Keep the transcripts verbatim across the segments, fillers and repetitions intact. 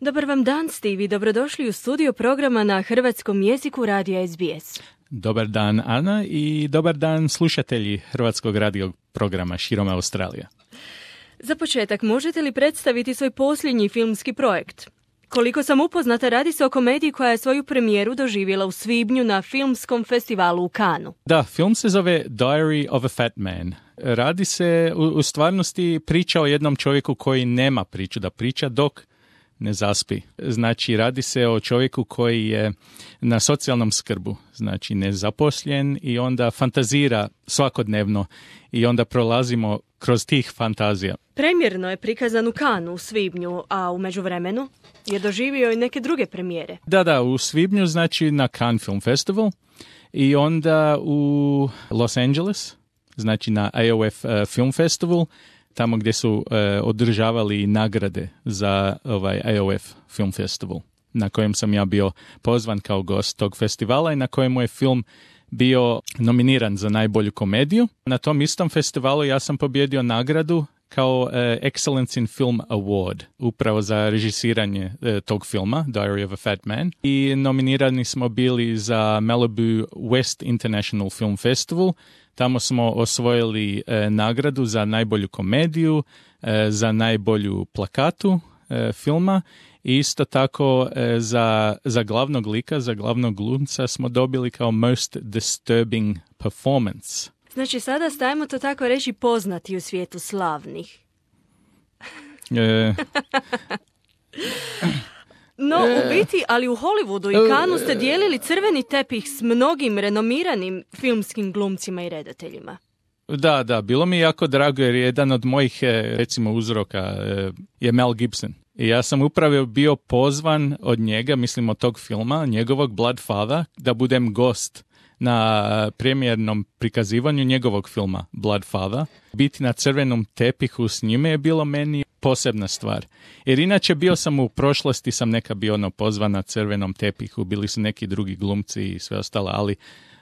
Dobar vam dan, Steve, i dobrodošli u studio programa na hrvatskom jeziku radija S B S. Dobar dan, Ana, i dobar dan slušatelji hrvatskog radio programa širom Australije. Za početak, možete li predstaviti svoj posljednji filmski projekt? Koliko sam upoznata, radi se o komediji koja je svoju premijeru doživjela u svibnju na filmskom festivalu u Cannesu. Da, film se zove Diary of a Fat Man. Radi se u, u stvarnosti priča o jednom čovjeku koji nema priču da priča dok ne zaspi. Znači, radi se o čovjeku koji je na socijalnom skrbu, znači nezaposlen i onda fantazira svakodnevno i onda prolazimo kroz tih fantazija. Premjerno je prikazan u Cannesu u svibnju, a u međuvremenu je doživio i neke druge premijere. Da, da, u svibnju znači na Cannes Film Festival i onda u Los Angeles, znači na A O F uh, Film Festival, tamo gdje su uh, održavali nagrade za ovaj A O F Film Festival, na kojem sam ja bio pozvan kao gost tog festivala i na kojemu je film bio nominiran za najbolju komediju. Na tom istom festivalu ja sam pobjedio nagradu kao uh, Excellence in Film Award, upravo za režisiranje uh, tog filma, Diary of a Fat Man. I nominirani smo bili za Malibu West International Film Festival. Tamo smo osvojili uh, nagradu za najbolju komediju, uh, za najbolju plakatu uh, filma i isto tako uh, za, za glavnog lika, za glavnog glumca smo dobili kao Most Disturbing Performance. Znači, sada stajemo to tako reći poznati u svijetu slavnih. E... No, u biti, ali u Hollywoodu i Cannesu ste dijelili crveni tepih s mnogim renomiranim filmskim glumcima i redateljima. Da, da, bilo mi jako drago jer jedan od mojih, recimo, uzroka je Mel Gibson. I ja sam upravo bio pozvan od njega, mislim od tog filma, njegovog Bloodfather, da budem gost na premijernom prikazivanju njegovog filma Bloodfather. Biti na crvenom tepihu s njime je bilo meni posebna stvar. Jer inače bio sam u prošlosti, sam neka bio ono pozvan na crvenom tepihu, bili su neki drugi glumci i sve ostalo, ali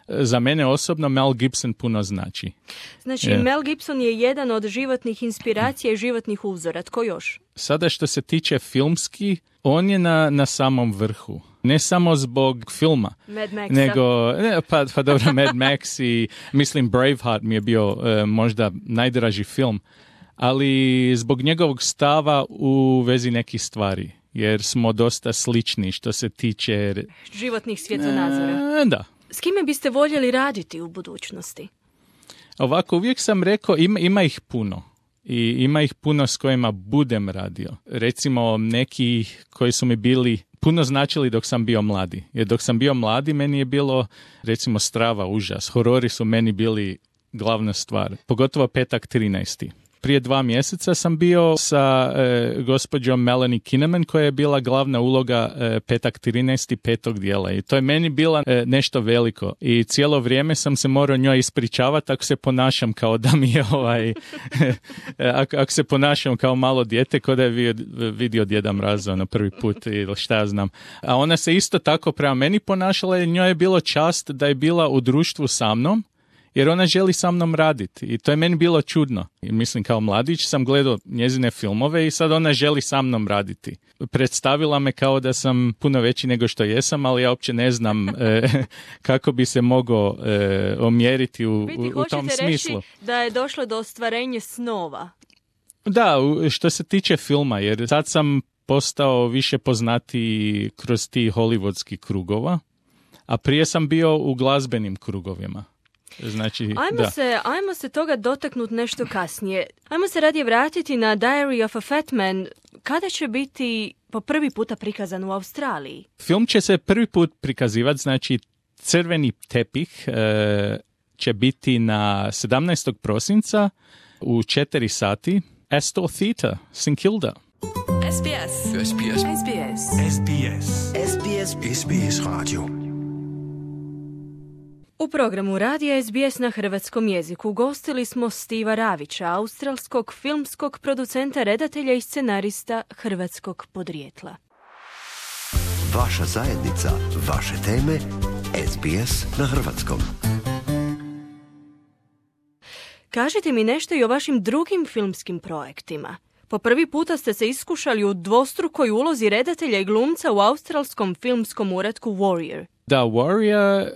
za mene osobno Mel Gibson puno znači. Znači, yeah. Mel Gibson je jedan od životnih inspiracija i životnih uzora. Tko još? Sada što se tiče filmski, on je na, na samom vrhu. Ne samo zbog filma, Mad Maxa. nego, ne, pa, pa dobro, Mad Max i mislim Braveheart mi je bio uh, možda najdraži film, ali zbog njegovog stava u vezi nekih stvari, jer smo dosta slični što se tiče životnih svjetonazora. E, da. S kime biste voljeli raditi u budućnosti? Ovako, uvijek sam rekao, ima, ima ih puno. I ima ih puno s kojima budem radio. Recimo neki koji su mi bili puno značili dok sam bio mladi. Jer dok sam bio mladi meni je bilo recimo strava, užas. Horori su meni bili glavna stvar. Pogotovo Petak trinaesti. Prije dva mjeseca sam bio sa e, gospođom Melanie Kinnaman koja je bila glavna uloga e, Petak trinaesti petog dijela. I to je meni bila e, nešto veliko. I cijelo vrijeme sam se morao njoj ispričavati ako se ponašam kao da mi je ovaj... ako, ako se ponašam kao malo dijete, kao da je vidio, vidio Djeda Mraza na prvi put ili šta ja znam. A ona se isto tako prema meni ponašala i njoj je bilo čast da je bila u društvu sa mnom, jer ona želi sa mnom raditi i to je meni bilo čudno. I mislim, kao mladić sam gledao njezine filmove i sad ona želi sa mnom raditi. Predstavila me kao da sam puno veći nego što jesam, ali ja uopće ne znam e, kako bi se mogao e, omjeriti u, Biti, u, u tom smislu. Reći da je došlo do ostvarenja snova. Da, što se tiče filma, jer sad sam postao više poznatiji kroz ti hollywoodski krugova, a prije sam bio u glazbenim krugovima. Znači, ajmo, da. se, ajmo se toga dotaknuti nešto kasnije. Ajmo se radije vratiti na Diary of a Fat Man. Kada će biti po prvi puta prikazan u Australiji? Film će se prvi put prikazivati, znači crveni tepih e, će biti na sedamnaestog prosinca u četiri sati. Astor Theatre, St Kilda. S B S. S B S. S B S. S B S. S B S. S B S Radio. U programu radija S B S na hrvatskom jeziku gostili smo Stiva Ravića, australskog filmskog producenta, redatelja i scenarista hrvatskog podrijetla. Vaša zajednica, vaše teme, S B S na hrvatskom. Kažite mi nešto i o vašim drugim filmskim projektima. Po prvi puta ste se iskušali u dvostrukoj ulozi redatelja i glumca u australskom filmskom uratku Warrior. Da, Warrior,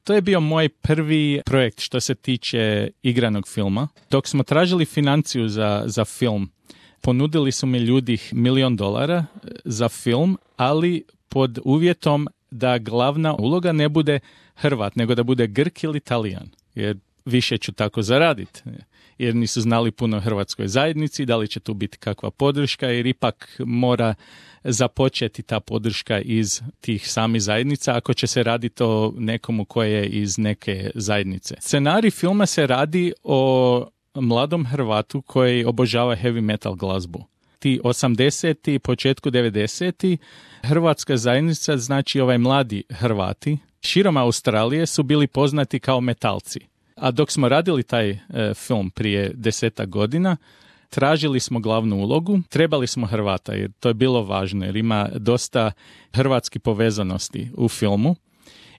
to je bio moj prvi projekt što se tiče igranog filma. Dok smo tražili financiju za, za film, ponudili su mi ljudi milion dolara za film, ali pod uvjetom da glavna uloga ne bude Hrvat, nego da bude Grk ili Talijan. Jer više ću tako zaraditi. Jer nisu znali puno hrvatskoj zajednici, da li će tu biti kakva podrška, jer ipak mora započeti ta podrška iz tih samih zajednica ako će se raditi o nekomu koje je iz neke zajednice. Scenarij filma se radi o mladom Hrvatu koji obožava heavy metal glazbu. Ti osamdeseti, početku devedeseti, hrvatska zajednica, znači ovaj mladi Hrvati, širom Australije su bili poznati kao metalci. A dok smo radili taj e, film prije desetak godina, tražili smo glavnu ulogu, trebali smo Hrvata jer to je bilo važno jer ima dosta hrvatski povezanosti u filmu.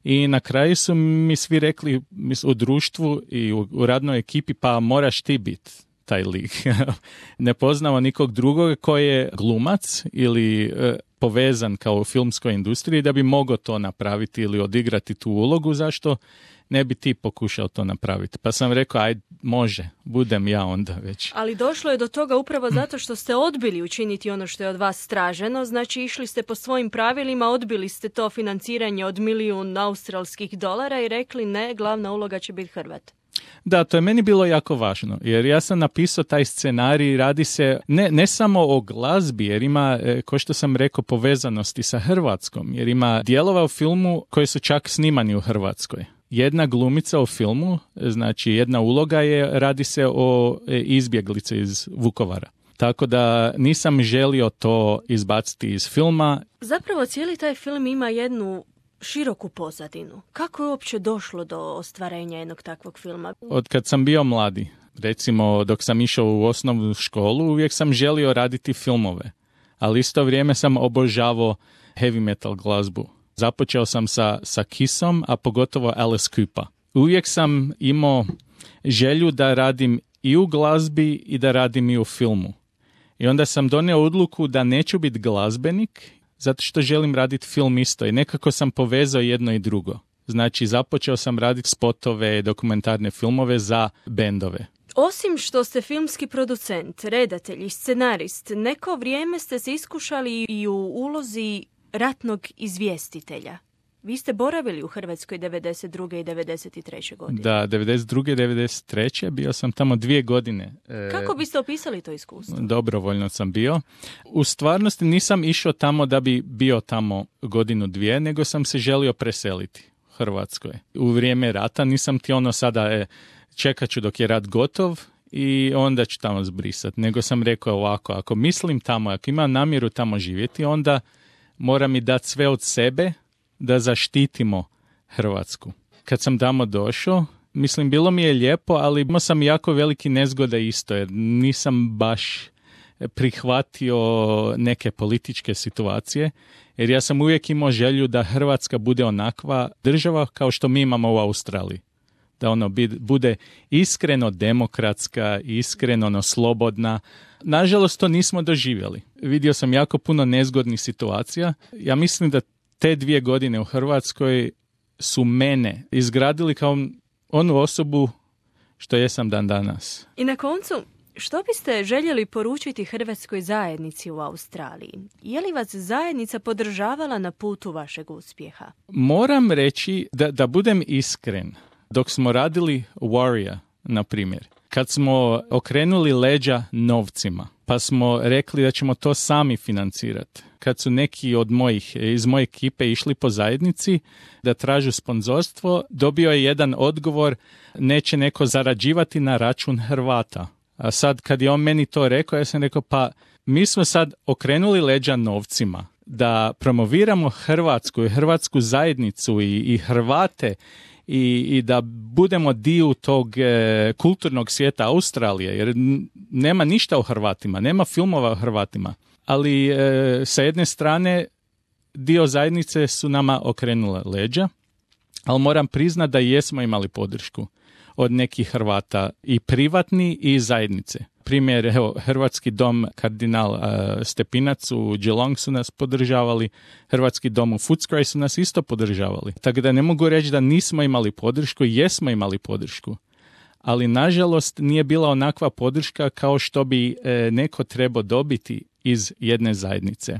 I na kraju su mi svi rekli u društvu i u, u radnoj ekipi, pa moraš ti biti taj lik. Ne poznamo nikog drugog koji je glumac ili e, povezan kao u filmskoj industriji da bi mogao to napraviti ili odigrati tu ulogu. Zašto ne bi ti pokušao to napraviti? Pa sam rekao, aj može, budem ja onda već. Ali došlo je do toga upravo zato što ste odbili učiniti ono što je od vas traženo, znači išli ste po svojim pravilima, odbili ste to financiranje od milijun australskih dolara i rekli ne, glavna uloga će biti Hrvat. Da, to je meni bilo jako važno, jer ja sam napisao taj scenarij, radi se ne, ne samo o glazbi, jer ima, kao što sam rekao, povezanosti sa Hrvatskom, jer ima dijelova u filmu koji su čak snimani u Hrvatskoj. Jedna glumica u filmu, znači jedna uloga je, radi se o izbjeglici iz Vukovara. Tako da nisam želio to izbaciti iz filma. Zapravo cijeli taj film ima jednu široku pozadinu. Kako je uopće došlo do ostvarenja jednog takvog filma? Od kad sam bio mladi, recimo dok sam išao u osnovnu školu, uvijek sam želio raditi filmove. Ali isto vrijeme sam obožavao heavy metal glazbu. Započeo sam sa, sa Kissom, a pogotovo Alice Cooper. Uvijek sam imao želju da radim i u glazbi i da radim i u filmu. I onda sam donio odluku da neću biti glazbenik, zato što želim raditi film isto. I nekako sam povezao jedno i drugo. Znači, započeo sam raditi spotove, dokumentarne filmove za bendove. Osim što ste filmski producent, redatelj i scenarist, neko vrijeme ste se iskušali i u ulozi ratnog izvjestitelja. Vi ste boravili u Hrvatskoj devedeset druge i devedeset treće godine. Da, devedeset druge i devedeset treće bio sam tamo dvije godine. Kako biste opisali to iskustvo? Dobrovoljno sam bio. U stvarnosti nisam išao tamo da bi bio tamo godinu dvije, nego sam se želio preseliti u Hrvatskoj. U vrijeme rata nisam ti ono sada e, čekat ću dok je rat gotov i onda ću tamo zbrisati. Nego sam rekao ovako, ako mislim tamo, ako imam namjeru tamo živjeti, onda mora mi dati sve od sebe da zaštitimo Hrvatsku. Kad sam tamo došao, mislim, bilo mi je lijepo, ali imao sam jako veliki nezgoda isto, jer nisam baš prihvatio neke političke situacije, jer ja sam uvijek imao želju da Hrvatska bude onakva država kao što mi imamo u Australiji. Da ono bude iskreno demokratska, iskreno ono, slobodna. Nažalost, to nismo doživjeli. Vidio sam jako puno nezgodnih situacija. Ja mislim da te dvije godine u Hrvatskoj su mene izgradili kao onu osobu što jesam dan danas. I na koncu, što biste željeli poručiti hrvatskoj zajednici u Australiji? Je li vas zajednica podržavala na putu vašeg uspjeha? Moram reći da, da budem iskren. Dok smo radili Warrior, na primjer, kad smo okrenuli leđa novcima, pa smo rekli da ćemo to sami financirati. Kad su neki od mojih, iz moje ekipe išli po zajednici da tražu sponzorstvo, dobio je jedan odgovor, neće neko zarađivati na račun Hrvata. A sad kad je on meni to rekao, ja sam rekao, pa mi smo sad okrenuli leđa novcima da promoviramo Hrvatsku i hrvatsku zajednicu i, i Hrvate i, i da budemo dio tog e, kulturnog svijeta Australije, jer nema ništa o Hrvatima, nema filmova o Hrvatima. Ali e, sa jedne strane dio zajednice su nama okrenule leđa, ali moram priznati da jesmo imali podršku od nekih Hrvata i privatni i zajednice. Primjer, evo, Hrvatski dom Kardinal uh, Stepinac u Geelong su nas podržavali, Hrvatski dom u Footscray su nas isto podržavali. Tako da ne mogu reći da nismo imali podršku, jesmo imali podršku. Ali nažalost nije bila onakva podrška kao što bi e, neko trebao dobiti iz jedne zajednice.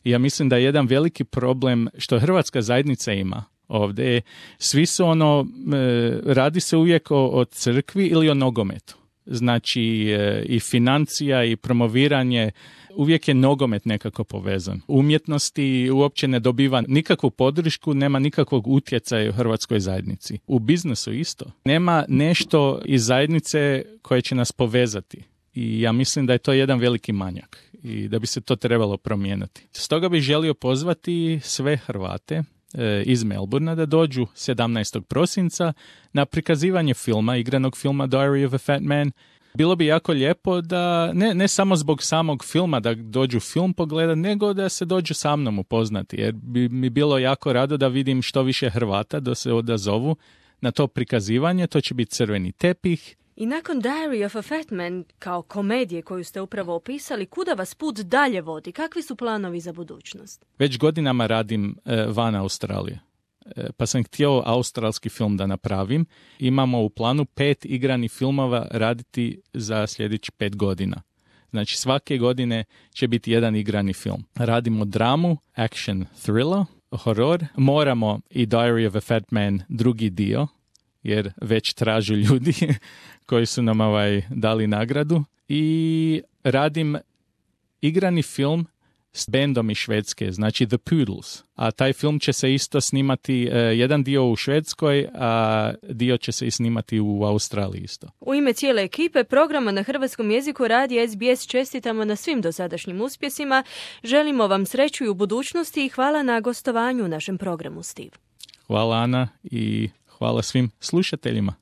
I ja mislim da je jedan veliki problem što hrvatska zajednica ima ovdje. Svi su ono, e, radi se uvijek o, o crkvi ili o nogometu. Znači e, i financija i promoviranje, uvijek je nogomet nekako povezan. Umjetnosti uopće ne dobiva nikakvu podršku, nema nikakvog utjecaja u hrvatskoj zajednici. U biznisu isto. Nema nešto iz zajednice koje će nas povezati. I ja mislim da je to jedan veliki manjak i da bi se to trebalo promijeniti. Stoga bih želio pozvati sve Hrvate e, iz Melbournea da dođu sedamnaestog prosinca na prikazivanje filma, igranog filma Diary of a Fat Man. Bilo bi jako lijepo da, ne, ne samo zbog samog filma da dođu film pogledati, nego da se dođu sa mnom upoznati, jer bi mi bilo jako rado da vidim što više Hrvata da se odazovu na to prikazivanje. To će biti crveni tepih. I nakon Diary of a Fat Man, kao komedije koju ste upravo opisali, kuda vas put dalje vodi? Kakvi su planovi za budućnost? Već godinama radim e, van Australije. Pa sam htio australski film da napravim. Imamo u planu pet igranih filmova raditi za sljedeći pet godina. Znači svake godine će biti jedan igrani film. Radimo dramu, action, thriller, horor. Moramo i Diary of a Fat Man drugi dio, jer već tražu ljudi koji su nam ovaj dali nagradu. I radim igrani film s bendom iz Švedske, znači The Poodles. A taj film će se isto snimati, uh, jedan dio u Švedskoj, a dio će se i snimati u Australiji isto. U ime cijele ekipe programa na hrvatskom jeziku radija S B S čestitamo na svim dosadašnjim uspjesima. Želimo vam sreću i u budućnosti i hvala na gostovanju u našem programu, Steve. Hvala, Ana, i hvala svim slušateljima.